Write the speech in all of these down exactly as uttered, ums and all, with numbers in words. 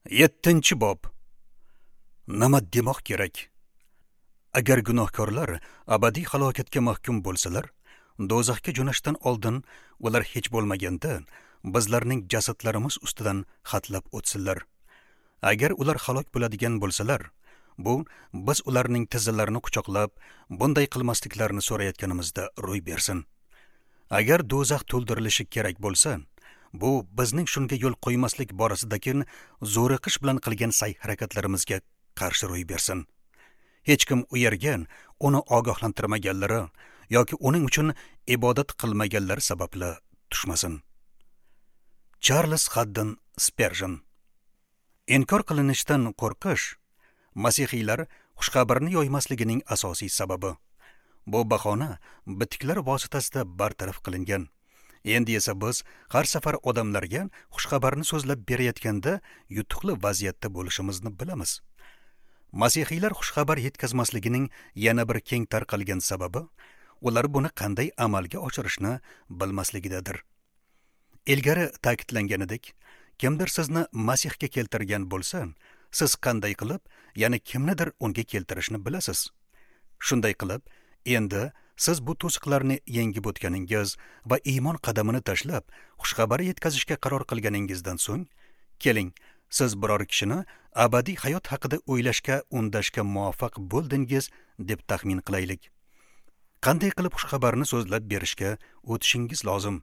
Yettinchi bob. Nima demoq kerak? Agar gunohkorlar abadiy halokatga mahkum bo'lsalar, do'zaxga jo'nashdan oldin ular hech bo'lmaganda bizlarning jasadlarimiz ustidan xatlab o'tsinlar. Agar ular halok bo'ladigan bo'lsalar, bu biz ularning tizzalarini quchoqlab, bunday qilmasliklarini so'rayotganimizda ro'y bersin. Agar do'zax to'ldirilishi kerak bo'lsa, bu bizning shunga yo'l qo'ymaslik borasidagi zo'riqish bilan qilgan sa'y-harakatlarimizga qarshi ro'y bersin. Hech kim u yerga uni ogohlantirmaganlari yoki uning uchun ibodat qilmaganlari sababli tushmasin. Charles Haddon Sperjen. Inkor qilinishdan qo'rqish masihiylar xushxabarni yoymasligining asosiy sababi. Bu bahona bitiklar vositasida bartaraf qilingan. Endi esa biz har safar odamlarga xushxabarni so'zlab berayotganda yutuqli vaziyatda bo'lishimizni bilamiz. Masihiylar xushxabar yetkazmasligining yana bir keng tarqalgan sababi ular buni qanday amalga oshirishni bilmasligidadir. Ilgari ta'kidlanganidek, kimdir sizni Masihga keltirgan bo'lsa, siz qanday qilib, yana kimnidir unga keltirishni bilasiz. Shunday qilib, endi siz bu to'siqlarni yengib o'tganingiz va iymon qadamini tashlab, xushxabar yetkazishga qaror qilganingizdan so'ng, keling, siz biror kishini abadiy hayot haqida o'ylashga undashga muvaffaq bo'ldingiz deb taxmin qilaylik. Qanday qilib xushxabarni so'zlab berishga o'tishingiz lozim?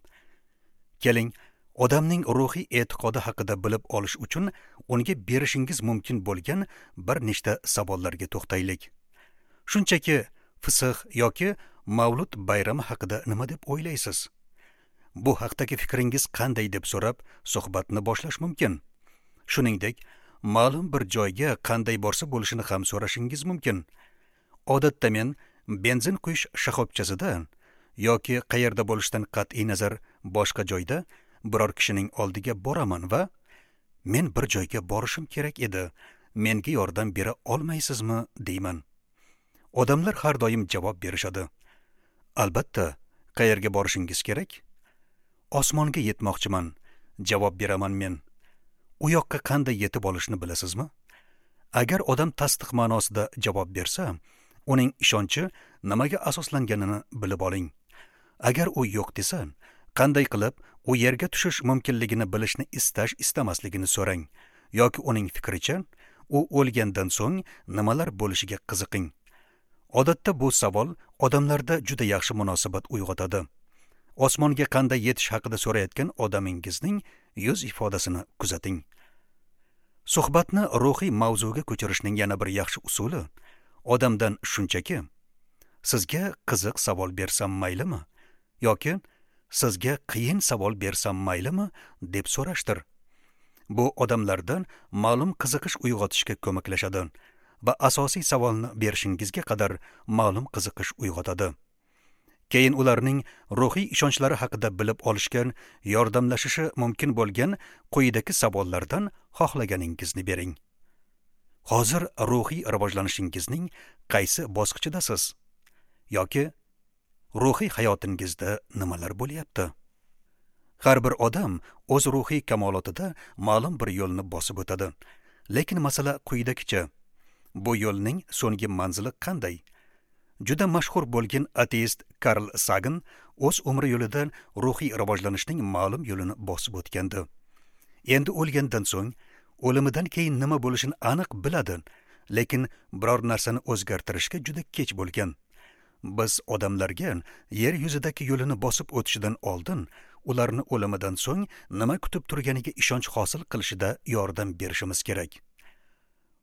Keling, odamning ruhiy e'tiqodi haqida bilib olish uchun unga berishingiz mumkin bo'lgan bir nechta savollarga to'xtaylik. Shunchaki Fisix yoki Mavlud bayrami haqida nima deb o'ylaysiz? Bu haqdagi fikringiz qanday deb so'rab suhbatni boshlash mumkin. Shuningdek, ma'lum bir joyga qanday borsa bo'lishini ham so'rashingiz mumkin. Odatda men benzin quyish shoxobchasida yoki qayerda bo'lishidan qat'iy nazar boshqa joyda biror kishining oldiga boraman va men bir joyga borishim kerak edi, menga yordam bera olmaysizmi deyman. Odamlar har doim javob berishadi. Albatta, qayerga borishingiz kerak? Osmonga yetmoqchiman, javob beraman men. U yoqqa qanday yetib olishni bilasizmi? Agar odam tasdiq ma'nosida javob bersa, uning ishonchi nimaga asoslanganini bilib oling. Agar u yo'q desa, qanday qilib u yerga tushish mumkinligini bilishni istash istamasligini so'rang yoki uning fikricha u o'lgandan so'ng nimalar bo'lishiga qiziqing. Odatda bu savol odamlarda juda yaxshi munosabat uyg'otadi. Osmonga qanday yetish haqida so'rayotgan odamingizning yuz ifodasini kuzating. Suhbatni ruhiy mavzuga ko'chirishning yana bir yaxshi usuli odamdan shunchaki sizga qiziq savol bersam maylimi yoki sizga qiyin savol bersam maylimi deb so'rashdir. Bu odamlardan ma'lum qiziqish uyg'otishga ko'maklashadi va asosiy savolni berishingizga qadar ma'lum qiziqish uyg'otadi. Keyin ularning ruhiy ishonchlari haqida bilib olishga yordamlashishi mumkin bo'lgan quyidagi savollardan xohlaganingizni bering. Hozir ruhiy rivojlanishingizning qaysi bosqichidasiz? Yoki ruhiy hayotingizda nimalar bo'lyapti? Har bir odam o'z ruhiy kamolotida ma'lum bir yo'lni bosib o'tadi. Lekin masala quyidagicha: bu yo'lning so'nggi manzili qanday? Juda mashhur bo'lgan ateist Karl Sagan o'z umri yo'lida ruhiy rivojlanishning ma'lum yo'lini bosib o'tgandi. Endi o'lgandan so'ng o'limidan keyin nima bo'lishini aniq biladi, lekin biror narsani o'zgartirishga juda kech bo'lgan. Biz odamlarga yer yuzidagi yo'lini bosib o'tishidan oldin ularni o'limidan so'ng nima kutib turganiga ishonch hosil qilishida yordam berishimiz kerak.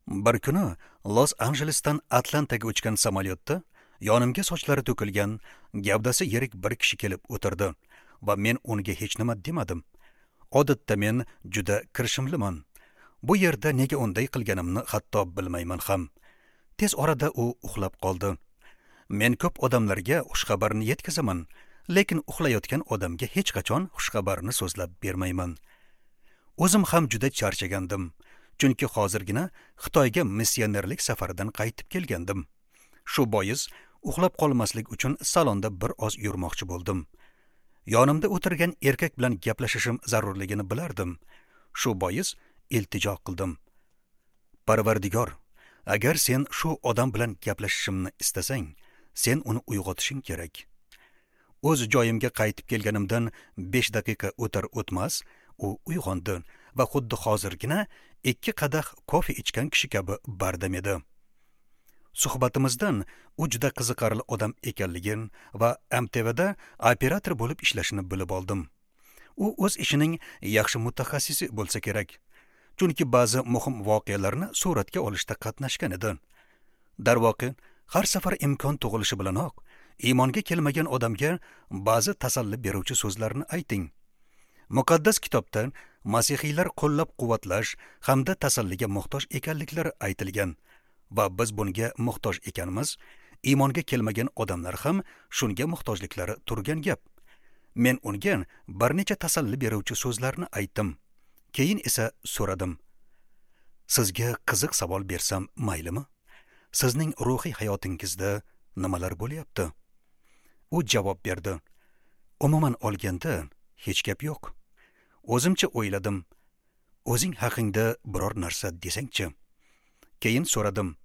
Bir kuni Los-Anjelesdan Atlantaga uchgan samolyotda yonimga sochlari to'kilgan, gavdasi yirik bir kishi kelib o'tirdi va men unga hech nima demadim. Odatda men juda kirishimliman. Bu yerda nega unday qilganimni hatto bilmayman ham. Tez orada u uxlab qoldi. Men ko'p odamlarga xushxabarni yetkazaman, lekin uxlayotgan odamga hech qachon xushxabarni so'zlab bermayman. O'zim ham juda charchagandim, chunki hozirgina Xitoyga missionerlik safaridan qaytib kelgandim. Shu bois uxlab qolmaslik uchun salonda bir oz yurmoqchi bo'ldim. Yonimda o'tirgan erkak bilan gaplashishim zarurligini bilardim. Shu bois iltijo qildim. Parvardigor, agar sen shu odam bilan gaplashishimni istasang, sen uni uyg'otishing kerak. O'z joyimga qaytib kelganimdan besh daqiqa o'tar o'tmas, u uyg'ondi va xuddi hozirgina ikki qadah kofe ichgan kishi kabi bardam edi. Suhbatimizdan u juda qiziqarli odam ekanligini va M T Vda operator bo'lib ishlashini bilib oldim. U o'z ishining yaxshi mutaxassisi bo'lsa kerak, chunki ba'zi muhim voqealarni suratga olishda qatnashgan edi. Darvoqe, har safar imkon tug'ilishi bilanoq iymonga kelmagan odamga ba'zi tasalli beruvchi so'zlarni ayting. Muqaddas kitobda masihiylar qo'llab-quvvatlash hamda tasalliga muhtoj ekanliklari aytilgan va biz bunga muhtoj ekanmiz. Iymonga kelmagan odamlar ham shunga muhtojliklari turgan gap. Men unga bir necha tasalli beruvchi so'zlarni aytdim. Keyin esa so'radim: Sizga qiziq savol bersam maylimi? Sizning ruhiy hayotingizda nimalar bo'lyapti? U javob berdi: Umuman olganda hech gap yo'q. O'zimcha o'yladim: O'zing haqingda biror narsa desangchi. Keyin so'radim: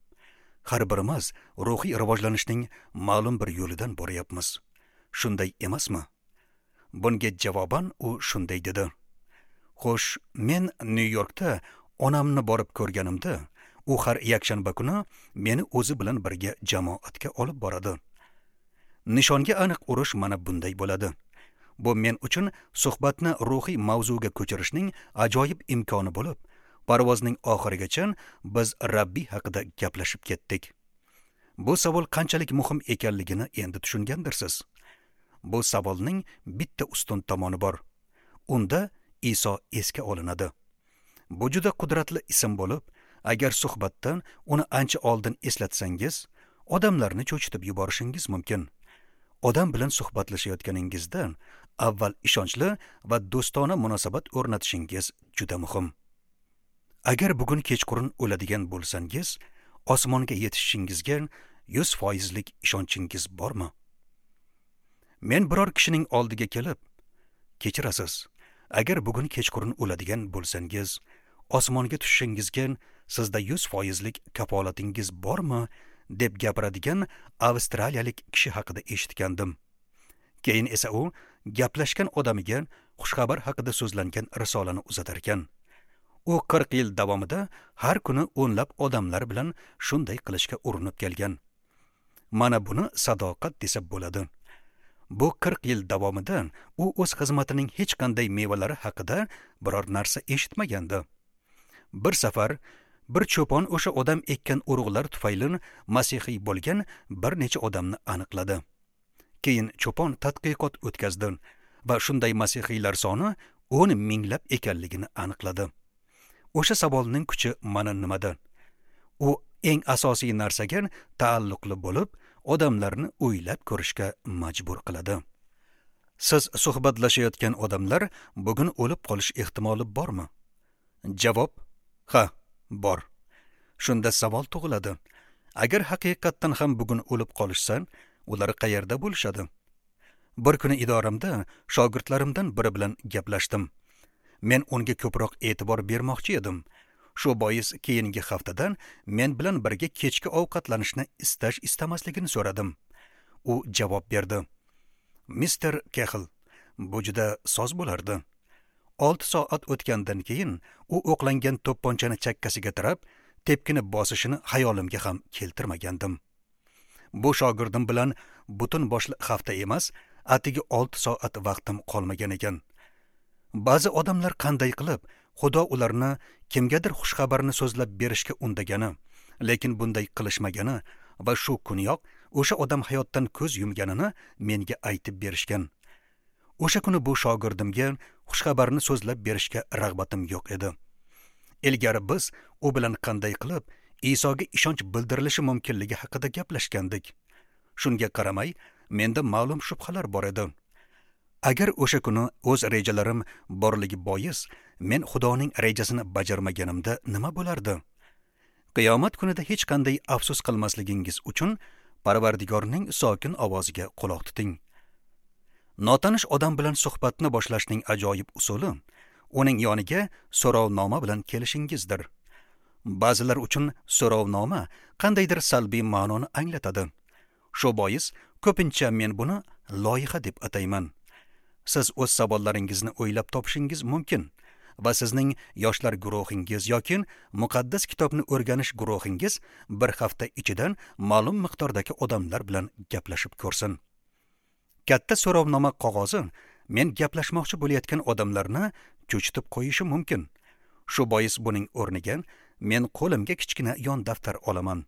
Har birimiz ruhiy rivojlanishning ma'lum bir yo'lidan boryapmiz. Shunday emasmi? Bunga javoban u shunday dedi: Xo'sh, men Nyu-Yorkda onamni borib ko'rganimda, u har yakshanba kuni meni o'zi bilan birga jamoatga olib boradi. Nishonga aniq urush mana bunday bo'ladi. Bu men uchun suhbatni ruhiy mavzuga ko'chirishning ajoyib imkoni bo'lib, parvozning oxirigacha biz Rabbiy haqida gaplashib ketdik. Bu savol qanchalik muhim ekanligini endi tushungandirsiz. Bu savolning bitta ustun tomoni bor. Unda Iso esga olinadi. Bu juda qudratli ism bo'lib, agar suhbatdan uni ancha oldin eslatsangiz, odamlarni cho'chitib yuborishingiz mumkin. Odam bilan suhbatlashayotganingizda avval ishonchli va do'stona munosabat o'rnatishingiz juda muhim. Agar bugun kechqurun o'ladigan bo'lsangiz, osmonga yetishishingizga yuz foizlik ishonchingiz bormi? Men biror kishining oldiga kelib, kechirasiz, agar bugun kechqurun o'ladigan bo'lsangiz, osmonga tushishingizga sizda yuz foizlik kafolatingiz bormi, deb gapiradigan avstraliyalik kishi haqida eshitgandim. Keyin esa u gaplashgan odamiga xushxabar haqida so'zlangan risolani uzatar ekan. U qirq yil davomida har kuni o'nlab odamlar bilan shunday qilishga urinib kelgan. Mana buni sadoqat desa bo'ladi. Bu qirq yil davomida u o'z xizmatining hech qanday mevalari haqida biror narsa eshitmagandi. Bir safar bir cho'pon o'sha odam ekkan urug'lar tufayli masihiy bo'lgan bir necha odamni aniqladi. Keyin cho'pon tadqiqot o'tkazdi va shunday masihiylar soni o'n minglab ekanligini aniqladi. O'sha savolning kuchi mana nimada? U eng asosiy narsaga taalluqli bo'lib, odamlarni o'ylab ko'rishga majbur qiladi. Siz suhbatlashayotgan odamlar bugun o'lib qolish ehtimoli bormi? Javob: ha, bor. Shunda savol tug'iladi: agar haqiqatdan ham bugun o'lib qolishsa, ular qayerda bo'lishadi? Bir kuni idoramda shogirdlarimdan biri bilan gaplashdim. Men unga ko'proq e'tibor bermoqchi edim. Shu bois keyingi haftadan men bilan birga kechki ovqatlanishni istash istamasligini so'radim. U javob berdi: Mister Kehl, bu juda soz bo'lardi. Olti soat o'tgandan keyin u o'qlangan to'pponchani chakkasiga tirab, tepkini bosishini xayolimga ham keltirmagandim. Bu shogirdim bilan butun boshli hafta emas, atigi olti soat vaqtim qolmagan ekan. Ba'zi odamlar qanday qilib Xudo ularni kimgadir xushxabarni so'zlab berishga undagani, lekin bunday qilishmagani va shu kuniyoq o'sha odam hayotdan ko'z yumganini menga aytib berishgan. O'sha kuni bu shogirdimga xushxabarni so'zlab berishga rag'batim yo'q edi. Ilgari biz u bilan qanday qilib Isoga ishonch bildirilishi mumkinligi haqida gaplashgandik. Shunga qaramay, menda ma'lum shubhalar bor edi. Agar o'sha kuni o'z rejalarim borligi bois men Xudoning rejasini bajarmaganimda nima bo'lardi? Qiyomat kunida hech qanday afsus qilmasligingiz uchun Parvardigorning sokin ovoziga quloq tuting. Notanish odam bilan suhbatni boshlashning ajoyib usuli uning yoniga so'rovnoma bilan kelishingizdir. Ba'zilar uchun so'rovnoma qandaydir salbiy ma'noni anglatadi. Shu bois ko'pincha men buni loyiha deb atayman. Siz o'z savollaringizni o'ylab topishingiz mumkin va sizning yoshlar guruhingiz yoki muqaddas kitobni o'rganish guruhingiz bir hafta ichidan ma'lum miqdordagi odamlar bilan gaplashib ko'rsin. Katta so'rovnoma qog'ozi men gaplashmoqchi bo'layotgan odamlarni cho'chitib qo'yishi mumkin. Shu bois buning o'rniga men qo'limga kichkina yon daftar olaman.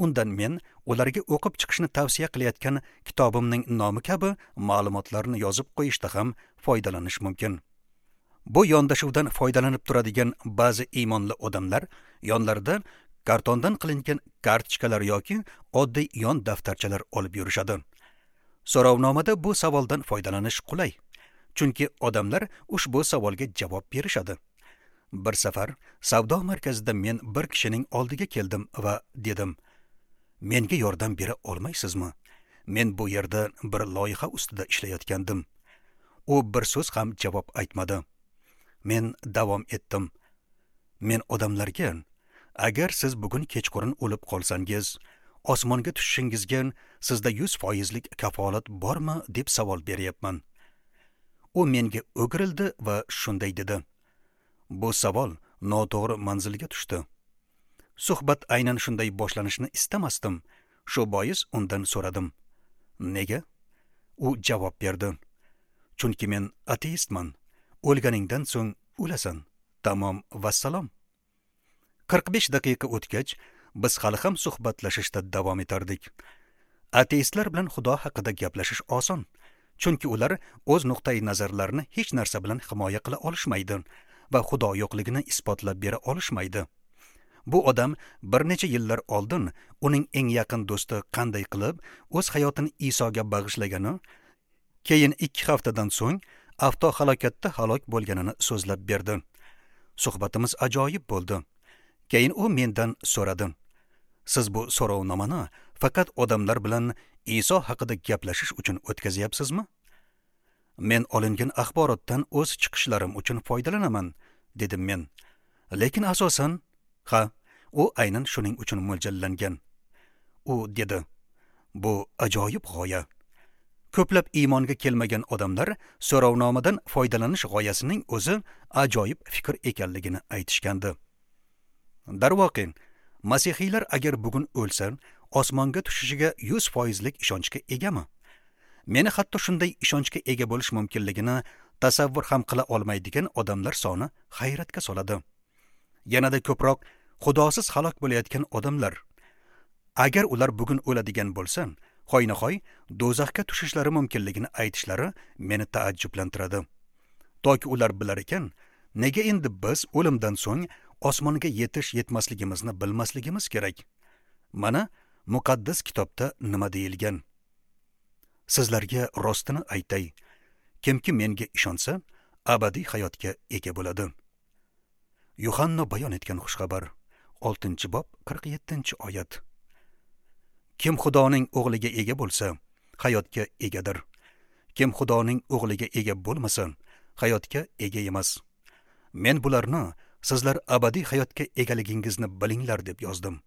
Undan men ularga o'qib chiqishni tavsiya qilayotgan kitobimning nomi kabi ma'lumotlarni yozib qo'yishda ham foydalanish mumkin. Bu yondashuvdan foydalanib turadigan ba'zi iymonli odamlar yonlarida kartondan qilingan kartochkalar yoki oddiy yon daftarchalar olib yurishadi. So'rovnomada bu savoldan foydalanish qulay, chunki odamlar ushbu savolga javob berishadi. Bir safar savdo markazida men bir kishining oldiga keldim va dedim: "Menga yordam bera olmaysizmi? Men bu yerda bir loyiha ustida ishlayotgandim." U bir so'z ham javob aytmadi. Men davom etdim. Men odamlarga: "Agar siz bugun kechqurun o'lib qolsangiz, osmonga tushishingizga sizda yuz foizlik kafolat bormi?" deb savol beryapman. U menga o'girildi va shunday dedi: "Bu savol noto'g'ri manzilga tushdi." Suhbat aynan shunday boshlanishini istamasdim. Shu bois undan so'radim: "Nega?" U javob berdi: "Chunki men ateistman. O'lganingdan so'ng o'lasan. Tamom, vassalom." qirq besh daqiqa o'tgach, biz hali ham suhbatlashishda davom etardik. Ateistlar bilan Xudo haqida gaplashish oson, chunki ular o'z nuqtai nazarlarini hech narsa bilan himoya qila olishmaydi va Xudo yo'qligini isbotlab bera olishmaydi. Bu odam bir necha yillar oldin uning eng yaqin do'sti qanday qilib o'z hayotini Isoga bag'ishlagani, keyin ikki haftadan so'ng avtohalokatda halok bo'lganini so'zlab berdi. Suhbatimiz ajoyib bo'ldi. Keyin u mendan so'radi: "Siz bu so'rovnomani faqat odamlar bilan Iso haqida gaplashish uchun o'tkazyapsizmi?" "Men olingan axborotdan o'z chiqishlarim uchun foydalanaman", dedim men. "Lekin asosan, ha, u aynan shuning uchun mo'ljallangan." U dedi: "Bu ajoyib g'oya." Ko'plab iymonga kelmagan odamlar so'rovnomadan foydalanish g'oyasining o'zi ajoyib fikr ekanligini aytishgandi. Darvoqe, masihiylar agar bugun o'lsa, osmonga tushishiga yuz foizlik ishonchga egami? Meni hatto shunday ishonchga ega bo'lish mumkinligini tasavvur ham qila olmaydigan odamlar soni hayratga soladi. Yanada ko'proq Xudosiz halok bo'layotgan odamlar, agar ular bugun o'ladigan bo'lsa, hoynahoy do'zaxga tushishlari mumkinligini aytishlari meni taajjublantiradi. Toki ular bilar ekan, nega endi biz o'limdan so'ng osmonga yetish yetmasligimizni bilmasligimiz kerak? Mana muqaddas kitobda nima deyilgan? Sizlarga rostini aytay, kimki menga ishonsa, abadiy hayotga ega bo'ladi. Yuhanno bayon etgan xushxabar, oltinchi bob, qirq yettinchi oyat. Kim Xudoning o'g'liga ega bo'lsa, hayotga egadir. Kim Xudoning o'g'liga ega bo'lmasa, hayotga ega emas. Men bularni sizlar abadiy hayotga egaligingizni bilinglar deb yozdim.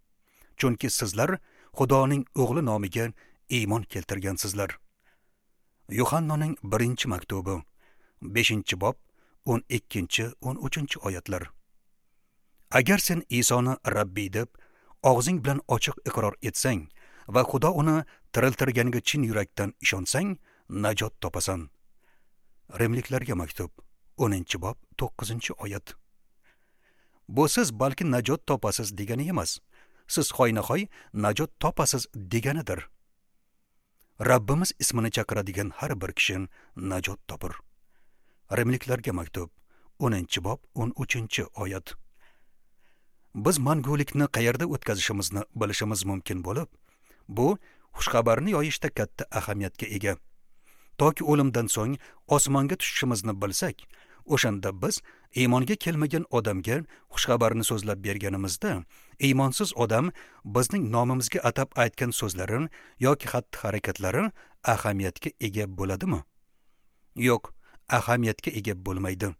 Chunki sizlar Xudoning o'g'li nomiga iymon keltirgansizlar. Yuhannoning birinchi maktubi, beshinchi bob, o'n ikkinchi, o'n uchinchi oyatlar. Agar sen Isoni Rabbiy deb og'zing bilan ochiq iqror etsang va Xudo uni tiriltirganiga chin yurakdan ishonsang, najot topasan. Rimliklarga maktub, o'ninchi bob, to'qqizinchi oyat. Bu siz balki najot topasiz degani emas. Siz hoynahoy najot topasiz deganidir. Rabbimiz ismini chaqiradigan har bir kishi najot topur. Rimliklarga maktub, o'ninchi bob, o'n uchinchi oyat. Biz mangulikni qayerda o'tkazishimizni bilishimiz mumkin bo'lib, bu xushxabarni yoyishda katta ahamiyatga ega. Toki o'limdan so'ng osmonga tushishimizni bilsak, o'shanda biz iymonga kelmagan odamga xushxabarni so'zlab berganimizda, iymonsiz odam bizning nomimizga atab aytgan so'zlari yoki xatti-harakatlari ahamiyatga ega bo'ladimi? Yo'q, ahamiyatga ega bo'lmaydi.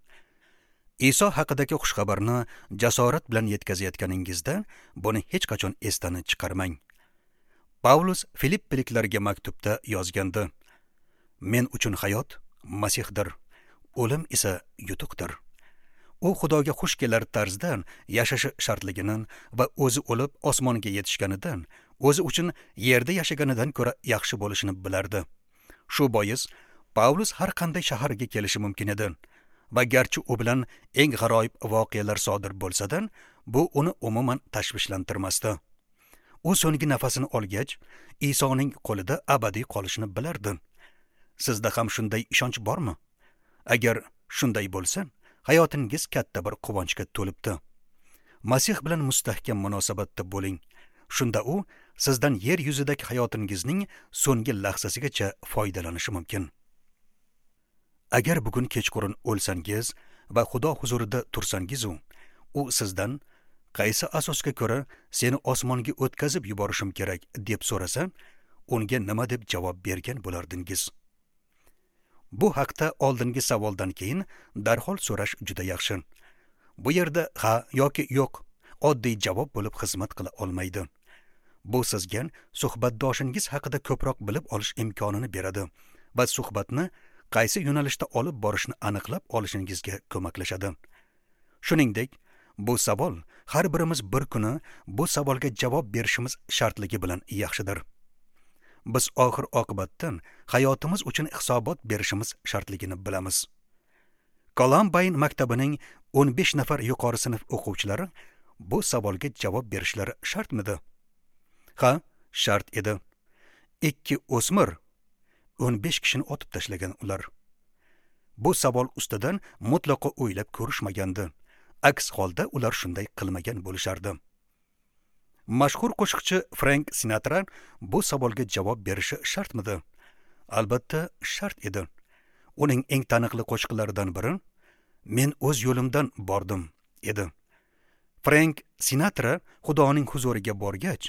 Iso haqidagi xushxabarni jasorat bilan yetkazayotganingizda buni hech qachon esdan chiqarmang. Pavlus Filippiliklarga maktubda yozgandi: Men uchun hayot Masihdir, o'lim esa yutuqdir. U Xudoga xush kelar tarzda yashashi shartligini va o'zi o'lib osmonga yetishganidan, o'zi uchun yerda yashaganidan ko'ra yaxshi bo'lishini bilardi. Shu bois Pavlus har qanday shaharga kelishi mumkin edi va garchi u bilan eng g'aroyib voqealar sodir bo'lsa-da, bu uni umuman tashvishlantirmasdi. U so'nggi nafasini olgach, Isoning qo'lida abadiy qolishini bilardi. Sizda ham shunday ishonch bormi? Agar shunday bo'lsa, hayotingiz katta bir quvonchga to'libdi. Masih bilan mustahkam munosabatda bo'ling. Shunda u sizdan yer yuzidagi hayotingizning so'nggi lahzasigacha foydalanishi mumkin. Agar bugun kechqurun o'lsangiz va Xudo huzurida tursangiz, u sizdan qaysi asosga ko'ra seni osmonga o'tkazib yuborishim kerak deb so'rasa, unga nima deb javob bergan bo'lardingiz? Bu haqda oldingi savoldan keyin darhol so'rash juda yaxshi. Bu yerda ha yoki yo'q oddiy javob bo'lib xizmat qila olmaydi. Bu sizga suhbatdoshingiz haqida ko'proq bilib olish imkonini beradi va suhbatni qaysi yo'nalishda olib borishni aniqlab olishingizga ko'maklashadi. Shuningdek, bu savol har birimiz bir kuni bu savolga javob berishimiz shartligi bilan yaxshidir. Biz oxir oqibatdan hayotimiz uchun hisobot berishimiz shartligini bilamiz. Columbine maktabining o'n besh nafar yuqori sinf o'quvchilari bu savolga javob berishlari shartmidi? Ha, shart edi. Ikki o'smir o'n besh kishini otib tashlagan ular. Bu savol ustidan mutlaqo o'ylab ko'rishmagandi. Aks holda ular shunday qilmagan bo'lishardi. Mashhur qo'shiqchi Frank Sinatra bu savolga javob berishi shartmidi? Albatta shart edi. Uning eng taniqli qo'shiqlaridan biri "Men o'z yo'limdan bordim" edi. Frank Sinatra Xudoning huzuriga borgach,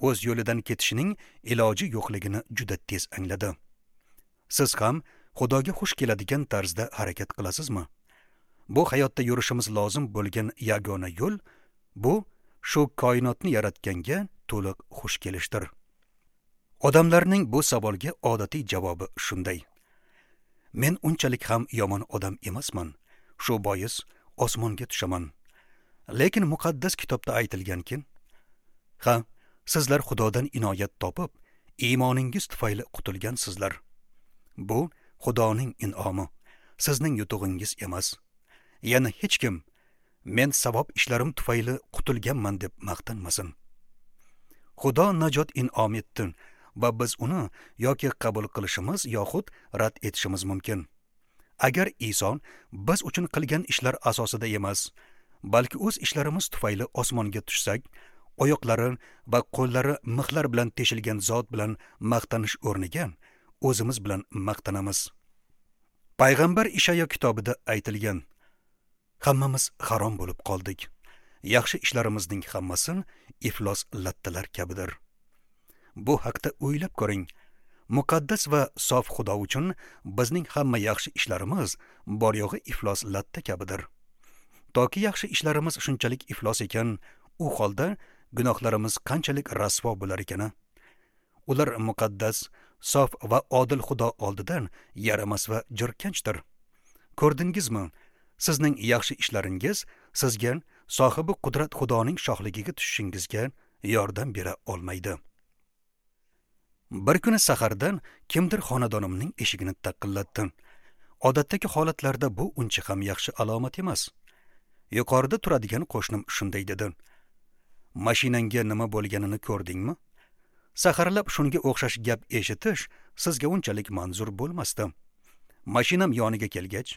o'z yo'lidan ketishining iloji yo'qligini juda tez angladi. Siz ham Xudoga xush keladigan tarzda harakat qilasizmi? Bu hayotda yurishimiz lozim bo'lgan yagona yo'l bu shu koinotni yaratganga to'liq xush kelishdir. Odamlarning bu savolga odatiy javobi shunday: Men unchalik ham yomon odam emasman, shu bois osmonga tushaman. Lekin muqaddas kitobda aytilganki, ha, sizlar Xudodan inoyat topib, iymoningiz tufayli qutulgansizlar. Bu Xudoning in'omi, sizning yutug'ingiz emas. Yana hech kim men savob ishlarim tufayli qutulganman deb maqtanmasin. Xudo najot in'om etdi va biz uni yoki qabul qilishimiz yoxud rad etishimiz mumkin. Agar Iso biz uchun qilgan ishlar asosida emas, balki o'z ishlarimiz tufayli osmonga tushsak, oyoqlari va qo'llari mixlar bilan teshilgan zot bilan maqtanish o'rniga o'zimiz bilan maqtanamiz. Payg'ambar Ishayo kitobida aytilgan: Hammamiz harom bo'lib qoldik. Yaxshi ishlarimizning hammasi iflos lattalar kabidir. Bu haqda o'ylab ko'ring. Muqaddas va sof Xudo uchun bizning hamma yaxshi ishlarimiz bor yo'g'i iflos latta kabidir. Toki yaxshi ishlarimiz shunchalik iflos ekan, u holda gunohlarimiz qanchalik rasvo bo'lar ekan? Ular muqaddas, sof va odil Xudo oldidan yaramas va jirkanchdir. Ko'rdingizmi? Sizning yaxshi ishlaringiz sizga sohibi qudrat Xudoning shohligiga tushishingizga yordam bera olmaydi. Bir kuni sahardan kimdir xonadonimning eshigini taqillatdi. Odatdagi holatlarda bu uncha ham yaxshi alomat emas. Yuqorida turadigan qo'shnim shunday dedi: "Mashinangga nima bo'lganini ko'rdingmi?" Saharlab shunga o'xshash gap eshitish sizga unchalik manzur bo'lmasdi. Mashinam yoniga kelgach,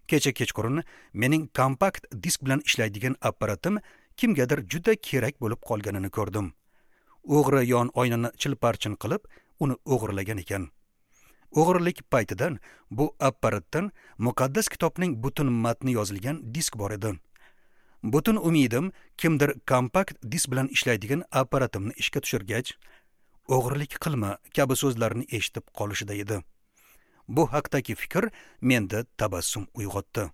kecha kechqurun mening kompakt disk bilan ishlaydigan apparatim kimgadir juda kerak bo'lib qolganini ko'rdim. O'g'ri yon oynani chilparchin qilib, uni o'g'irlagan ekan. O'g'irlik paytidan bu apparatdan muqaddas kitobning butun matni yozilgan disk bor edi. Butun umidim kimdir kompakt disk bilan ishlaydigan apparatimni ishga tushirgach, o'g'irlik qilma kabi so'zlarni eshitib qolishida edi. Bu haqdagi fikr menda tabassum uyg'otdi.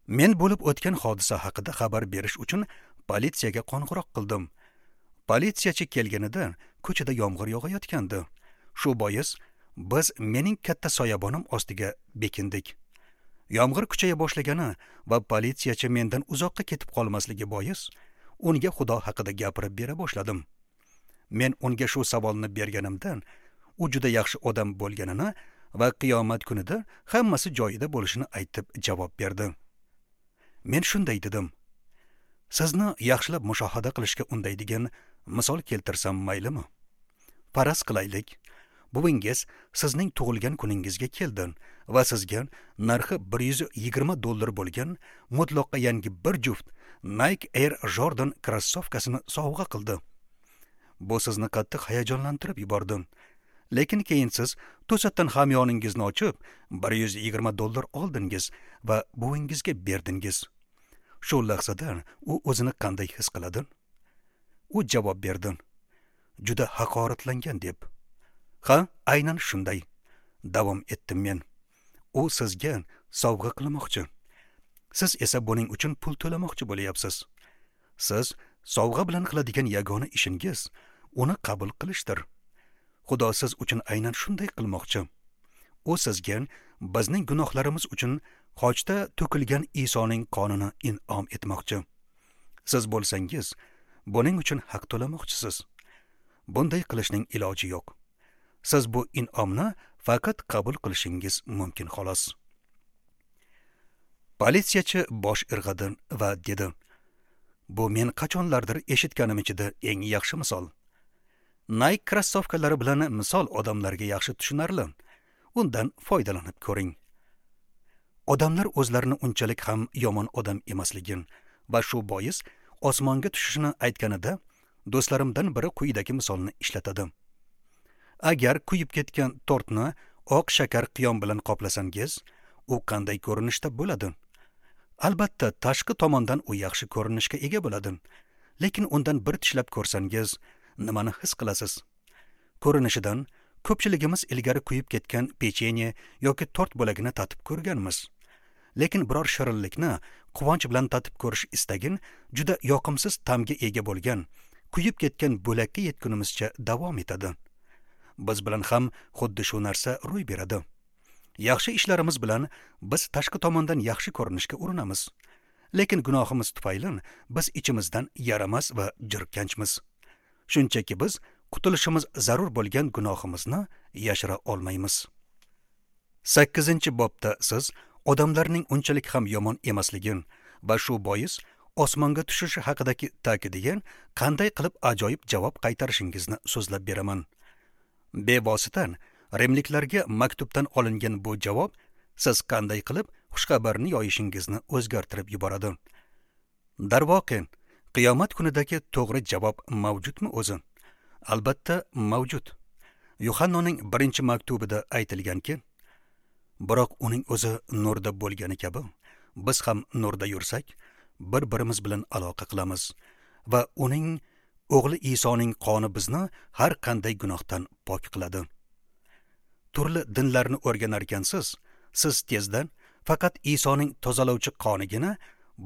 Men bo'lib o'tgan hodisa haqida xabar berish uchun politsiyaga qo'ng'iroq qildim. Politsiyachi kelganida ko'chada yomg'ir yog'ayotgandi. Shu bois biz mening katta soyabonim ostiga bekindik. Yomg'ir kuchaya boshlagani va politsiyachi mendan uzoqqa ketib qolmasligi bois unga Xudo haqida gapirib bera boshladim. Men unga shu savolni berganimdan u juda yaxshi odam bo'lganini va qiyomat kunida hammasi joyida bo'lishini aytib javob berdi. Men shunday dedim: Sizni yaxshilab mushohada qilishga undaydigan misol keltirsam maylimi? Faraz qilaylik, buvingiz sizning tug'ilgan kuningizga keldi va sizga narxi bir yuz yigirma dollar bo'lgan mutlaqo yangi bir juft Nike Air Jordan krossovkasini sovg'a qildi. Bu sizni qattiq hayajonlantirib yubordi. Lekin keyin siz to'satdan hamyoningizni ochib bir yuz yigirma dollar oldingiz va buvingizga berdingiz. Shu lahzada u o'zini qanday his qiladi? U javob berdi: juda haqoratlangan deb. Ha, aynan shunday, davom etdim men. U sizga sovg'a qilmoqchi. Siz esa buning uchun pul to'lamoqchi bo'lyapsiz. Siz sovg'a bilan qiladigan yagona ishingiz uni qabul qilishdir. Xudo siz uchun aynan shunday qilmoqchi. U sizga bizning gunohlarimiz uchun xochda to'kilgan Isoning qonini in'om etmoqchi. Siz bo'lsangiz, buning uchun haq to'lamoqchisiz. Bunday qilishning iloji yo'q. Siz bu in'omni faqat qabul qilishingiz mumkin xolos. Politsiyachi bosh irg'adi va dedi: Bu men qachonlardir eshitganim ichida eng yaxshi misol. Nike krossovkalari bilan misol odamlarga yaxshi tushunarli. Undan foydalanib ko'ring. Odamlar o'zlarini unchalik ham yomon odam emasligini va shu bois osmonga tushishini aytganida do'stlarimdan biri quyidagi misolni ishlatadi. Agar kuyib ketgan tortni oq shakar qiyom bilan qoplasangiz, u qanday ko'rinishda bo'ladi? Albatta, tashqi tomondan u yaxshi ko'rinishga ega bo'ladi. Lekin undan bir tishlab ko'rsangiz, nimani his qilasiz? Ko'rinishidan ko'pchiligimiz ilgari kuyib ketgan pechenye yoki tort bo'lagini tatib ko'rganmiz. Lekin biror shirinlikni quvonch bilan tatib ko'rish istagin juda yoqimsiz ta'mga ega bo'lgan, kuyib ketgan bo'lakka yetgunimizcha davom etadi. Biz bilan ham xuddi shu narsa ro'y beradi. Yaxshi ishlarimiz bilan biz tashqi tomondan yaxshi ko'rinishga urinamiz. Lekin gunohimiz tufayli biz ichimizdan yaramas va jirkanchmiz. Shunchaki biz qutulishimiz zarur bo'lgan gunohimizni yashira olmaymiz. Sakkizinchi bobda siz odamlarning unchalik ham yomon emasligini va shu bois osmonga tushishi haqidagi ta'kidiga qanday qilib ajoyib javob qaytarishingizni so'zlab beraman. Bevosita rimliklarga maktubdan olingan bu javob siz qanday qilib xushxabarni yoyishingizni o'zgartirib yuboradi. Darvoqe, qiyomat kunidagi to'g'ri javob mavjudmi o'zi? Albatta mavjud. Yuhannoning birinchi maktubida aytilganki, biroq uning o'zi nurda bo'lgani kabi, biz ham nurda yursak, bir-birimiz bilan aloqa qilamiz va uning o'g'li Isoning qoni bizni har qanday gunohdan pok qiladi. Turli dinlarni o'rganar ekansiz, siz tezdan faqat Isoning tozalovchi qonigina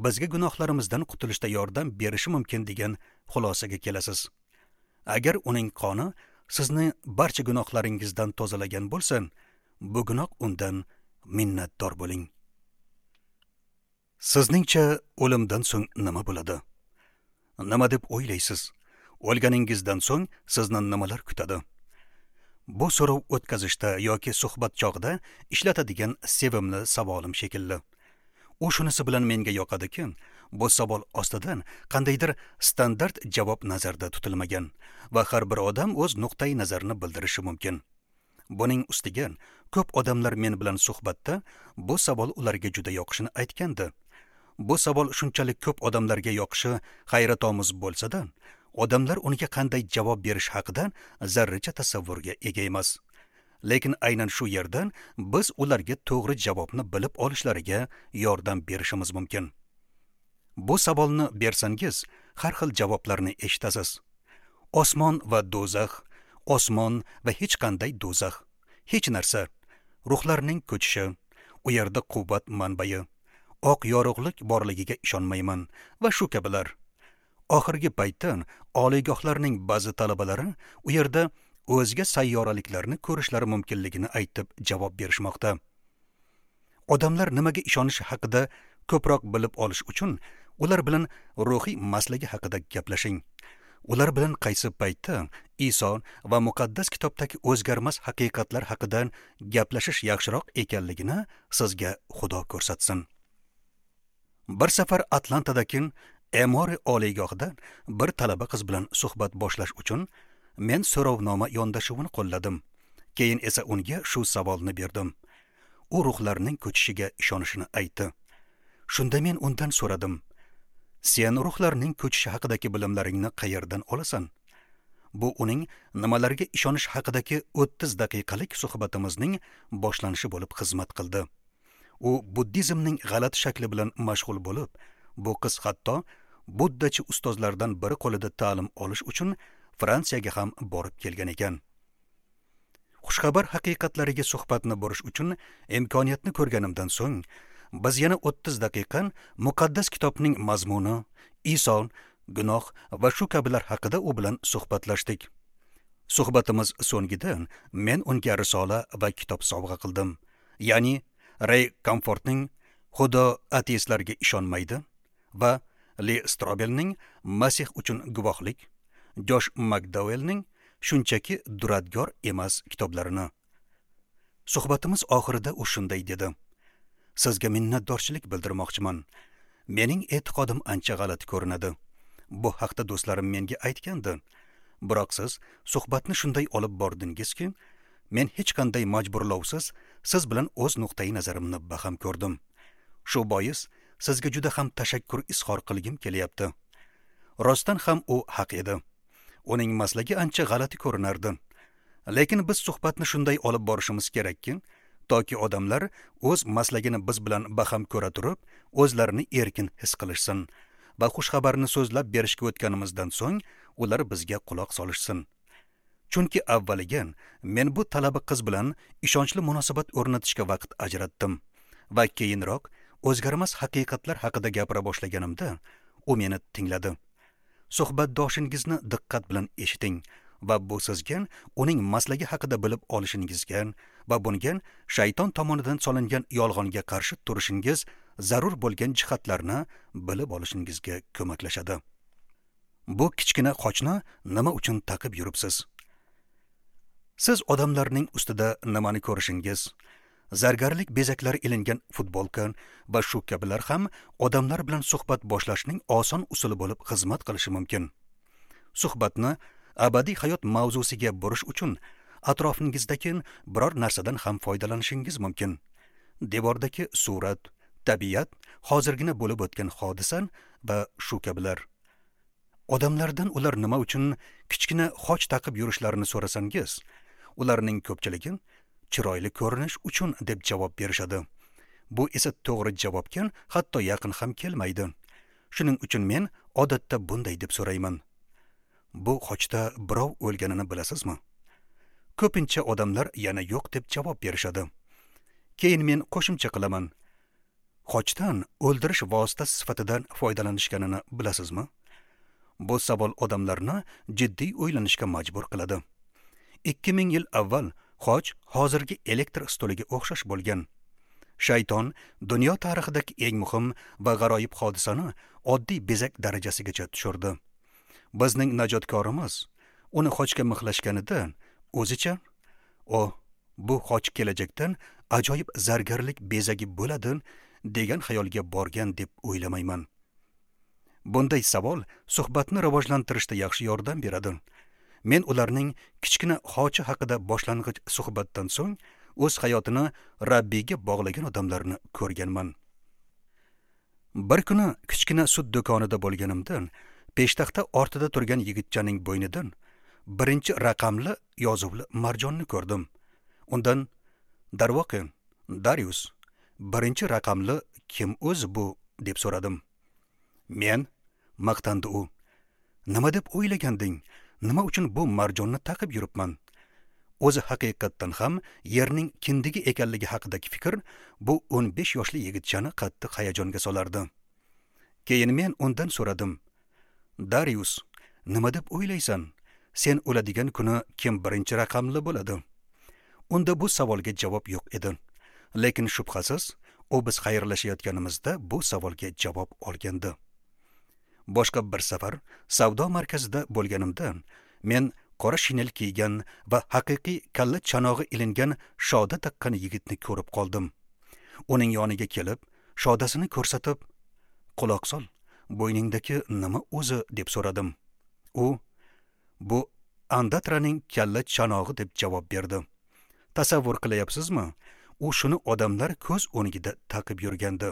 bizga gunohlarimizdan qutulishda yordam berishi mumkin degan xulosaga kelasiz. Agar uning qoni sizni barcha gunohlaringizdan tozalagan bo'lsa, bugunoq undan minnatdor bo'ling. Sizningcha o'limdan so'ng nima bo'ladi? Nima deb o'ylaysiz? O'lganingizdan so'ng sizni nimalar kutadi? Bu so'rov o'tkazishda yoki suhbat chog'ida ishlatadigan sevimli savolim shekilli. U shunisi bilan menga yoqadiki, bu savol ostidan qandaydir standart javob nazarda tutilmagan va har bir odam o'z nuqtai nazarini bildirishi mumkin. Buning ustiga ko'p odamlar men bilan suhbatda bu savol ularga juda yoqishini aytgandi. Bu savol shunchalik ko'p odamlarga yoqishi hayratomuz bo'lsa-da, odamlar unga qanday javob berish haqida zarracha tasavvurga ega emas. Lekin aynan shu yerdan biz ularga to'g'ri javobni bilib olishlariga yordam berishimiz mumkin. Bu savolni bersangiz, har xil javoblarni eshitasiz. Osmon va do'zax, osmon va hech qanday do'zax, hech narsa, ruhlarning ko'chishi, u yerda quvvat manbai, Oq yorug'lik borligiga ishonmayman va shu kabilar. Oxirgi paytda oliygohlarning ba'zi talabalari u yerda o'zga sayyoraliklarni ko'rishlari mumkinligini aytib javob berishmoqda. Odamlar nimaga ishonishi haqida ko'proq bilib olish uchun ular bilan ruhiy maslagi haqida gaplashing. Ular bilan qaysi paytda Iso va muqaddas kitobdagi o'zgarmas haqiqatlar haqida gaplashish yaxshiroq ekanligini sizga Xudo ko'rsatsin. Bir safar Atlantadagi Emori oliygohida bir talaba qiz bilan suhbat boshlash uchun men so'rovnoma yondashuvini qo'lladim. Keyin esa unga shu savolni berdim. U ruhlarning ko'chishiga ishonishini aytdi. Shunda men undan so'radim: "Sen ruhlarning ko'chishi haqidagi bilimlaringni qayerdan olasan?" Bu uning nimalarga ishonish haqidagi o'ttiz daqiqalik suhbatimizning boshlanishi bo'lib xizmat qildi. U buddizmning g'alati shakli bilan mashg'ul bo'lib, bu qiz hatto buddachi ustozlardan biri qo'lida ta'lim olish uchun Fransiyaga ham borib kelgan ekan. Xushxabar haqiqatlariga suhbatni burish uchun imkoniyatni ko'rganimdan so'ng biz yana o'ttiz daqiqa muqaddas kitobning mazmuni, Iso, gunoh va shu kabilar haqida u bilan suhbatlashdik. Suhbatimiz so'ngida men unga risola va kitob sovg'a qildim. Ya'ni Ray Comfortning Xudo ateistlarga ishonmaydi va Li Strobelning Masih uchun guvohlik, Josh McDowellning shunchaki duradgor emas kitoblarini. Suhbatimiz oxirida u shunday dedi: "Sizga minnatdorchilik bildirmoqchiman. Mening e'tiqodim ancha g'alati ko'rinadi. Bu haqda do'stlarim menga aytgandi. Biroq siz suhbatni shunday olib bordingizki, men hech qanday majburlovsiz siz bilan o'z nuqtai nazarimni baham ko'rdim. Shu bois sizga juda ham tashakkur izhor qilgim kelyapti." Rostdan ham u haq edi. Uning maslagi ancha g'alati ko'rinardi. Lekin biz suhbatni shunday olib borishimiz kerakki, toki odamlar o'z maslagini biz bilan baham ko'ra turib, o'zlarini erkin his qilishsin va xushxabarni so'zlab berishga o'tganimizdan so'ng ular bizga quloq solishsin. Chunki avvaliga men bu talaba qiz bilan ishonchli munosabat o'rnatishga vaqt ajratdim va keyinroq o'zgarmas haqiqatlar haqida gapira boshlaganimda u meni tingladi. Suhbatdoshingizni diqqat bilan eshiting va bu sizga uning maslagi haqida bilib olishingizga va bunga shayton tomonidan solingan yolg'onga qarshi turishingiz zarur bo'lgan jihatlarni bilib olishingizga ko'maklashadi. Bu kichkina qochni nima uchun taqib yuribsiz? Siz odamlarning ustida nimani ko'rishingiz, zargarlik bezaklari ilingan futbolka va shu kabilar ham odamlar bilan suhbat boshlashning oson usuli bo'lib xizmat qilishi mumkin. Suhbatni abadiy hayot mavzusiga burish uchun atrofingizdagi biror narsadan ham foydalanishingiz mumkin. Devordagi surat, tabiat, hozirgina bo'lib o'tgan hodisa va shu kabilar. Odamlardan ular nima uchun kichkina xoch taqib yurishlarini so'rasangiz, ularning ko'pchiligi chiroyli ko'rinish uchun deb javob berishadi. Bu esa to'g'ri javobga hatto yaqin ham kelmaydi. Shuning uchun men odatda bunday deb so'rayman: "Bu xochda birov o'lganini bilasizmi?" Ko'pincha odamlar yana yo'q deb javob berishadi. Keyin men qo'shimcha qilaman: "Xochdan o'ldirish vositasi sifatida foydalanishganini bilasizmi?" Bu savol odamlarni jiddiy o'ylanishga majbur qiladi. ikki ming yil avval xoch hozirgi elektr stoliga o'xshash bo'lgan. Shayton dunyo tarixidagi eng muhim va g'aroyib hodisani oddiy bezak darajasigacha tushirdi. Bizning najotkorimiz uni xochga mixlashganida o'zicha, "O, bu xoch kelajakdan ajoyib zargarlik bezagi bo'ladi" degan xayolga borgan deb o'ylamayman. Bunday savol suhbatni rivojlantirishda yaxshi yordam beradi. Men ularning kichkina xochi haqida boshlang'ich suhbatdan so'ng o'z hayotini Rabbiyga bog'lagan odamlarni ko'rganman. Bir kuni kichkina sut do'konida bo'lganimda peshtaxta ortida turgan yigitchaning bo'ynidan birinchi raqamli yozuvli marjonni ko'rdim. Undan: "Darvoqe, Darius, birinchi raqamli kim o'zi bu?" deb so'radim. "Men", maqtandi u. "Nima deb o'ylaganding? Nima uchun bu marjonni taqib yuribman? o'zi haqiqatdan ham yerning kindigi ekanligi haqidagi fikr bu o'n besh yoshli yigitchani qattiq hayajonga solardi. Keyin men undan so'radim: "Darius, nima deb o'ylaysan? Sen o'ladigan kuni kim birinchi raqamli bo'ladi?" Unda bu savolga javob yo'q edi. Lekin shubhasiz, u biz xayrlashayotganimizda bu savolga javob olgandi. Boshqa bir safar savdo markazida bo'lganimda men qora shinel kiygan va haqiqiy kalla chanog'i ilingan shoda taqqan yigitni ko'rib qoldim. Uning yoniga kelib, shodasini ko'rsatib, "Quloq sol, bo'yningdagi nima o'zi?" deb so'radim. U, "Bu Andatraning kalla chanog'i" deb javob berdi. Tasavvur qilyapsizmi? U shuni odamlar ko'z o'ngida taqib yurgandi.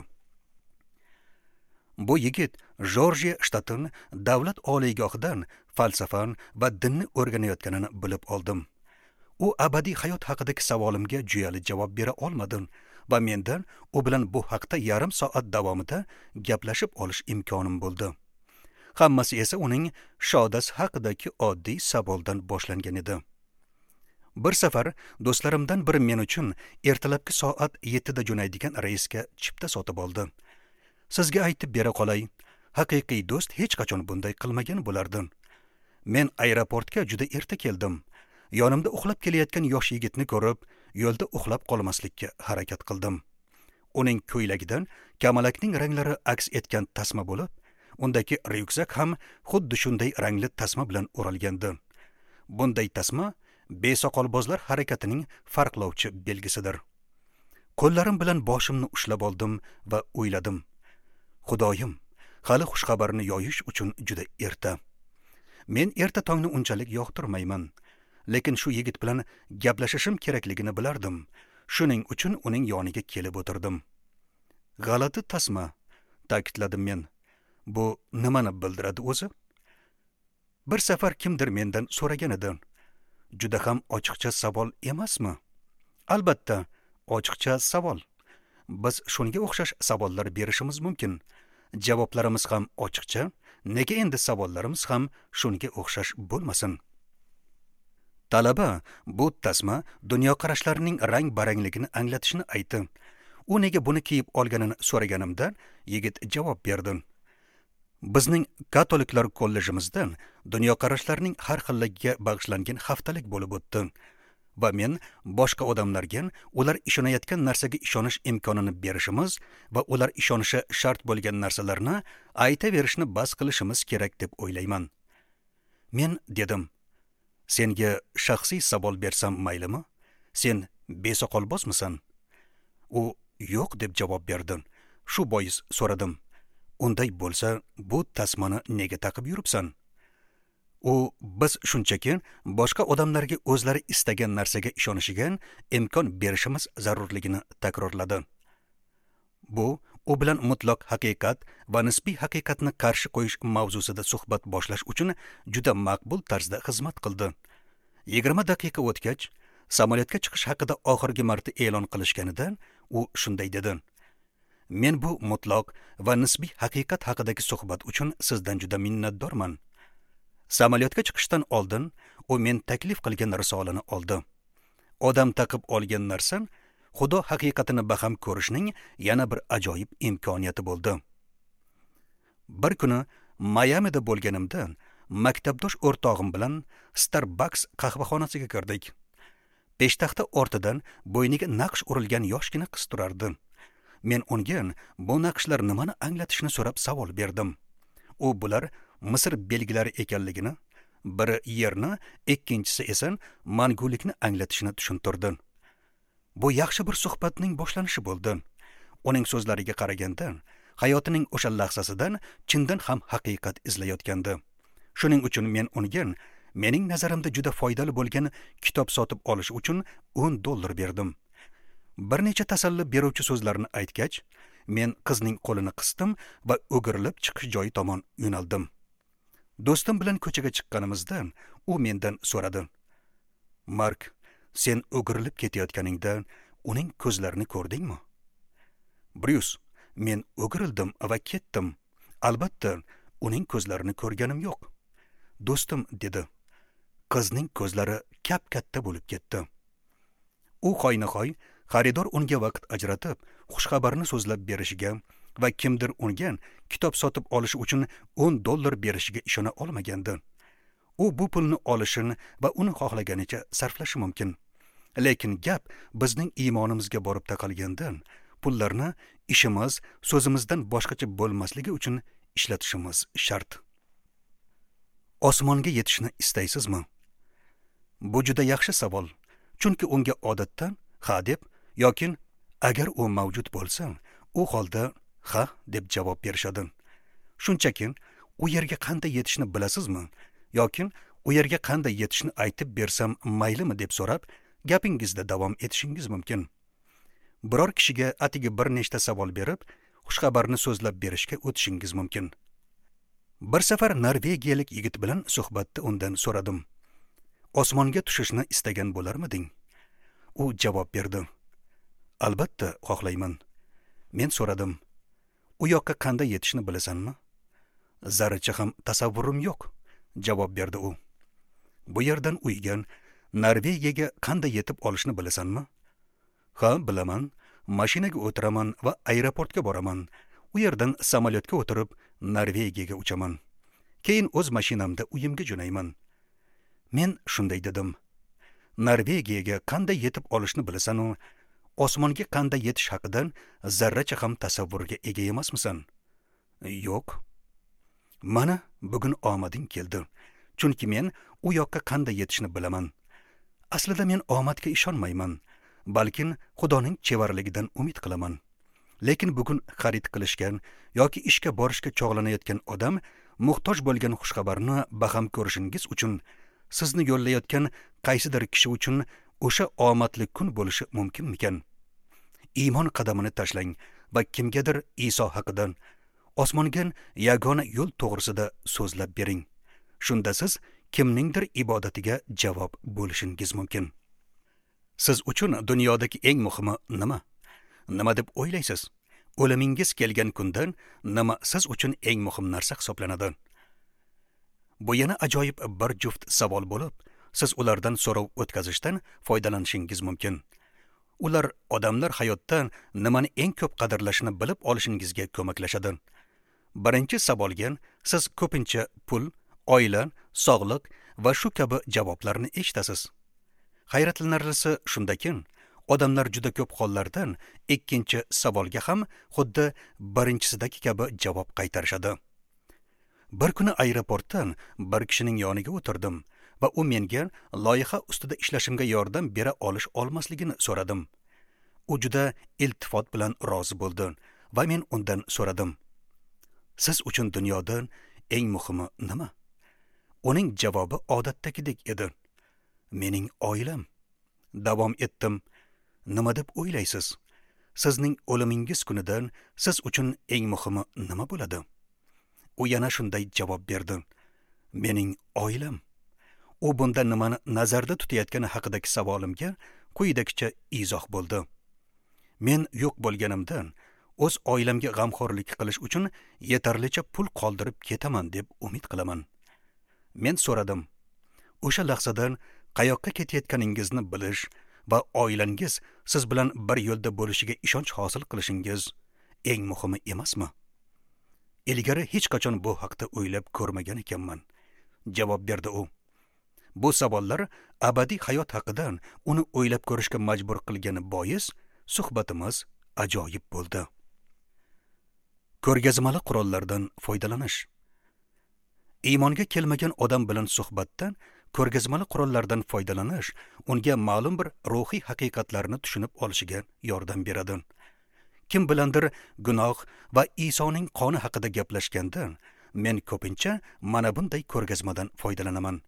Bu yigit Jorjiya shtatining davlat oliygohidan falsafa va dinni o'rganayotganini bilib oldim. U abadiy hayot haqidagi savolimga juyali javob bera olmadi va mendan u bilan bu haqda yarim soat davomida gaplashib olish imkonim bo'ldi. Hammasi esa uning shodasi haqidagi oddiy savoldan boshlangan edi. Bir safar do'stlarimdan biri men uchun ertalabki soat yettida jo'naydigan reysga chipta sotib oldi. Sizga aytib bera qolay, haqiqiy do'st hech qachon bunday qilmagan bo'lardi. Men aeroportga juda erta keldim. Yonimda uxlab kelayotgan yosh yigitni ko'rib, yo'lda uxlab qolmaslikka harakat qildim. Uning ko'ylagidan kamalakning ranglari aks etgan tasma bo'lib, undagi ryukzak ham xuddi shunday rangli tasma bilan o'ralgandi. Bunday tasma besoqolbozlar harakatining farqlovchi belgisidir. Qo'llarim bilan boshimni ushlab oldim va o'yladim: Xudoyim, hali xushxabarni yoyish uchun juda erta. Men erta tongni unchalik yoqtirmayman, lekin shu yigit bilan gaplashishim kerakligini bilardim. Shuning uchun uning yoniga kelib o'tirdim. "G'alati tasma", ta'kidladim men. "Bu nimani bildiradi o'zi?" Bir safar kimdir mendan so'ragan edi. Juda ham ochiqcha savol emasmi? Albatta, ochiqcha savol. Biz shunga o'xshash savollar berishimiz mumkin. Javoblarimiz ham ochiqcha, nega endi savollarimiz ham shunga o'xshash bo'lmasin? Talaba bu tasma dunyoqarashlarining rang-barangligini anglatishini aytdi. U nega buni kiyib olganini so'raganimda yigit javob berdi: "Bizning katoliklar kollejimizda dunyoqarashlarning har xilligiga bag'ishlangan haftalik bo'lib o'tdi va men boshqa odamlarga ular ishonayotgan narsaga ishonish imkonini berishimiz va ular ishonishi shart bo'lgan narsalarni aytaverishni bas qilishimiz kerak deb o'ylayman." Men dedim: "Senga shaxsiy savol bersam maylimi? Sen besoqolbozmisan?" U yo'q deb javob berdi. Shu bois so'radim: "Unday bo'lsa, bu tasmani nega taqib yuribsan?" U biz shunchaki boshqa odamlarga o'zlari istagan narsaga ishonishiga imkon berishimiz zarurligini takrorladi. Bu u bilan mutlaq haqiqat va nisbiy haqiqatni qarshi qo'yish mavzusida suhbat boshlash uchun juda maqbul tarzda xizmat qildi. Yigirma daqiqa o'tgach, samolyotga chiqish haqida oxirgi marta e'lon qilishganida u shunday dedi: "Men bu mutlaq va nisbiy haqiqat haqidagi suhbat uchun sizdan juda minnatdorman." Samolyotga chiqishdan oldin u men taklif qilgan risolani oldi. Odam taqib olgan narsa Xudo haqiqatini baham ko'rishning yana bir ajoyib imkoniyati bo'ldi. Bir kuni Mayamida bo'lganimda maktabdosh o'rtog'im bilan Starbucks qahvaxonasiga kirdik. Peshtaxta ortidan bo'yniga naqsh urilgan yoshgina qiz turardi. Men unga bu naqshlar nimani anglatishini so'rab savol berdim. U bular Misr belgilari ekanligini, biri yerni, ikkinchisi esa mangulikni anglatishini tushuntirdi. Bu yaxshi bir suhbatning boshlanishi bo'ldi. Uning so'zlariga qaraganda, hayotining o'sha lahzasidan chindan ham haqiqat izlayotgandi. Shuning uchun men unga mening nazarimda juda foydali bo'lgan kitob sotib olish uchun o'n dollar berdim. Bir necha tasalli beruvchi so'zlarni aytgach, men qizning qo'lini qisdim va o'girilib chiqish joyi tomon yo'naldim. Do'stim bilan ko'chaga chiqqanimizda u mendan so'radi: "Mark, sen o'girilib ketayotganingda uning ko'zlarini ko'rdingmi?" "Bryus, men o'girildim va ketdim. Albatta, uning ko'zlarini ko'rganim yo'q." "Do'stim", dedi, "qizning ko'zlari kap-katta bo'lib ketdi. U hoynahoy xaridor unga vaqt ajratib, xushxabarni so'zlab berishiga va kimdir unga kitob sotib olish uchun o'n dollar berishiga ishona olmagandi. U bu pulni olishini va uni xohlaganicha sarflashi mumkin. Lekin gap bizning iymonimizga borib taqalgandan, pullarni ishimiz, so'zimizdan boshqacha bo'lmasligi uchun ishlatishimiz shart. Osmonga yetishni istaysizmi? Bu juda yaxshi savol, chunki unga odatda ha deb yoki agar u mavjud bo'lsa, u holda ha deb javob berishadi. Shunchaki u yerga qanday yetishni bilasizmi yoki u yerga qanday yetishni aytib bersam maylimi deb so'rab, gapingizda davom etishingiz mumkin. Biror kishiga atigi bir nechta savol berib, xushxabarni so'zlab berishga o'tishingiz mumkin. Bir safar norvegiyalik yigit bilan suhbatda undan so'radim. Osmonga tushishni istagan bo'larmiding? U javob berdi. Albatta, xohlayman. Men so'radim. U yoqqa qanday yetishni bilasanmi? Zarracha ham tasavvurim yo'q, javob berdi u. Bu yerdan uyga, Norvegiyaga qanday yetib olishni bilasanmi? Ha, bilaman. Mashinaga o'tiraman va aeroportga boraman. U yerdan samolyotga o'tirib Norvegiyaga uchaman. Keyin o'z mashinamda uyimga jo'nayman. Men shunday dedim. Norvegiyaga qanday yetib olishni bilasan-u, osmonga qanday yetish haqidan zarracha ham tasavvurga ega emasmisan? Yo'q. Mana bugun omading keldi. Chunki men u yoqqa qanday yetishni bilaman. Aslida men omadga ishonmayman, balkim Xudoning chevarligidan umid qilaman. Lekin bugun xarid qilishgan yoki ishga borishga chog'lanayotgan odam muhtoj bo'lgan xushxabarni baham ko'rishingiz uchun sizni yo'llayotgan qaysidir kishi uchun o'sha omadli kun bo'lishi mumkinmikan? Iymon qadamini tashlang va kimgadir Iso haqida, osmonga yagona yo'l to'g'risida so'zlab bering. Shunda siz kimningdir ibodatiga javob bo'lishingiz mumkin. Siz uchun dunyodagi eng muhimi nima? Nima deb o'ylaysiz? O'limingiz kelgan kundan nima siz uchun eng muhim narsa hisoblanadi? Bu yana ajoyib bir juft savol bo'lib, siz ulardan so'rov o'tkazishdan foydalanishingiz mumkin. Ular odamlar hayotda nimani eng ko'p qadrlashini bilib olishingizga ko'maklashadi. Birinchi savolga siz ko'pincha pul, oila, sog'liq va shu kabi javoblarni eshitasiz. Hayratlanarlisi shundaki, odamlar juda ko'p hollardan ikkinchi savolga ham xuddi birinchisidagi kabi javob qaytarishadi. Bir kuni aeroportdan bir kishining yoniga o'tirdim va u menga loyiha ustida ishlashimga yordam bera olish olmasligini so'radim. U juda iltifot bilan rozi bo'ldi va men undan so'radim. Siz uchun dunyoda eng muhimi nima? Uning javobi odatdagidek edi. Mening oilam. Davom etdim. Nima deb o'ylaysiz? Sizning o'limingiz kunidan siz uchun eng muhimi nima bo'ladi? U yana shunday javob berdi. Mening oilam. U bunda nimani nazarda tutayotgani haqidagi savolimga quyidagicha izoh bo'ldi. Men yo'q bo'lganimdan o'z oilamga g'amxo'rlik qilish uchun yetarlicha pul qoldirib ketaman deb umid qilaman. Men so'radim. O'sha lahzadan qayoqqa ketayotganingizni bilish va oilangiz siz bilan bir yo'lda bo'lishiga ishonch hosil qilishingiz eng muhimi emasmi? Ilgari hech qachon bu haqda o'ylab ko'rmagan ekanman, javob berdi u. Bu savollar abadiy hayot haqidan uni o'ylab ko'rishga majbur qilgani bois suhbatimiz ajoyib bo'ldi. Ko'rgazmali qurollardan foydalanish. Iymonga kelmagan odam bilan suhbatdan ko'rgazmali qurollardan foydalanish unga ma'lum bir ruhiy haqiqatlarni tushunib olishiga yordam beradi. Kim bilandir gunoh va Isoning qoni haqida gaplashganda men ko'pincha mana bunday ko'rgazmadan foydalanaman.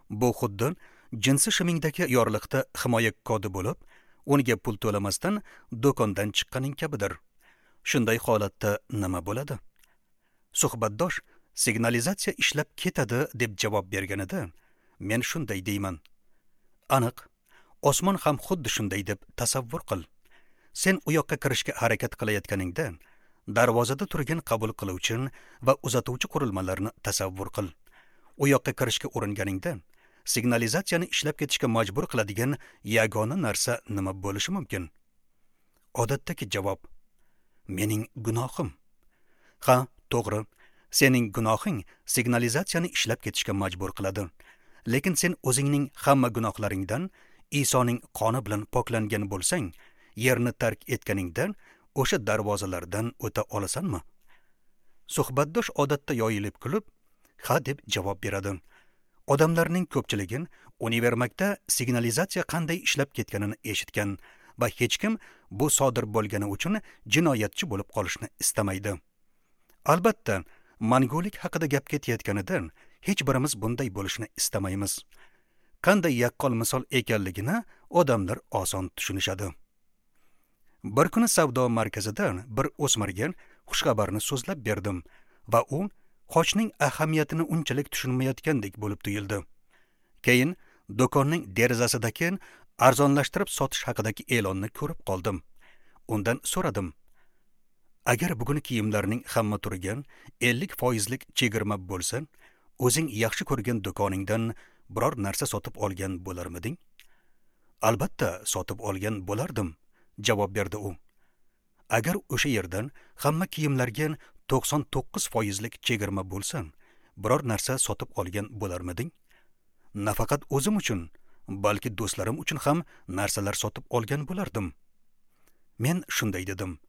Bu xuddi jinsi shimingdagi yorliqda himoya kodi bo'lib, unga pul to'lamasdan do'kondan chiqqaning kabidir. Shunday holatda nima bo'ladi? Suhbatdosh signalizatsiya ishlab ketadi deb javob berganida men shunday deyman. Aniq, osmon ham xuddi shunday deb tasavvur qil. Sen u yoqqa kirishga harakat qilayotganingda darvozada turgan qabul qiluvchi va uzatuvchi qurilmalarni tasavvur qil. U yoqqa kirishga uringaningda signalizatsiyani ishlab ketishga majbur qiladigan yagona narsa nima bo'lishi mumkin? Odatdagi javob: mening gunohim. Ha, to'g'ri, sening gunohing signalizatsiyani ishlab ketishga majbur qiladi. Lekin sen o'zingning hamma gunohlaringdan Isoning qoni bilan poklangan bo'lsang, yerni tark etganingda o'sha darvozalardan o'ta olasanmi? Suhbatdosh odatda yoyilib kulib, ha deb javob beradi. Odamlarning ko'pchiligi univermagda signalizatsiya qanday ishlab ketganini eshitgan va hech kim bu sodir bo'lgani uchun jinoyatchi bo'lib qolishni istamaydi. Albatta, mangulik haqida gap ketayotganidan hech birimiz bunday bo'lishini istamaymiz. Qanday yaqqol misol ekanligini odamlar oson tushunishadi. Bir kuni savdo markazida bir o'smirga xushxabarni so'zlab berdim va u xochning ahamiyatini unchalik tushunmayotgandek bo'lib tuyuldi. Keyin do'konning derazasidagi arzonlashtirib sotish haqidagi e'lonni ko'rib qoldim. Undan so'radim: agar bugun kiyimlarning hamma turiga ellik foizlik chegirma bo'lsa, o'zing yaxshi ko'rgan do'koningdan biror narsa sotib olgan bo'larmiding? Albatta, sotib olgan bo'lardim, javob berdi u. Agar o'sha yerdan hamma kiyimlarga to'qson to'qqiz foizlik chegirma bo'lsa, biror narsa sotib olgan bo'larmiding? Nafaqat o'zim uchun, balki do'stlarim uchun ham narsalar sotib olgan bo'lardim. Men shunday dedim: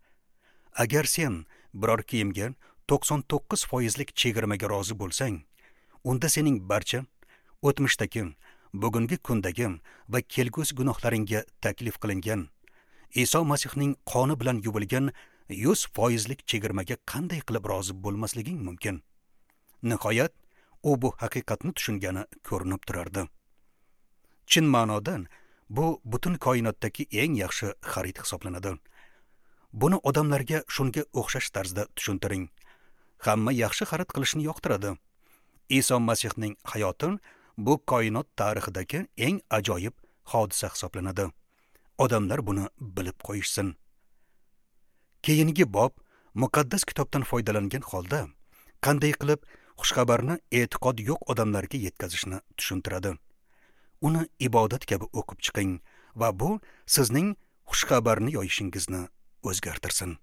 agar sen biror kiyimga to'qson to'qqiz foizlik chegirmaga rozi bo'lsang, unda sening barcha o'tmishdagi, bugungi kundagi va kelgusi gunohlaringga taklif qilingan Iso Masihning qoni bilan yuvilgan yuz foizlik chegirmaga qanday qilib rozi bo'lmasliging mumkin? Nihoyat, u bu haqiqatni tushungani ko'rinib turardi. Chin ma'nodan bu butun koinotdagi eng yaxshi xarid hisoblanadi. Buni odamlarga shunga o'xshash tarzda tushuntiring. Hamma yaxshi xarid qilishni yoqtiradi. Iso Masihning hayoti bu koinot tarixidagi eng ajoyib hodisa hisoblanadi. Odamlar buni bilib qo'yishsin. Keyingi bob muqaddas kitobdan foydalangan holda qanday qilib xushxabarni e'tiqod yo'q odamlarga yetkazishni tushuntiradi. Uni ibodat kabi o'qib chiqing va bu sizning xushxabarni yoyishingizni o'zgartirsin.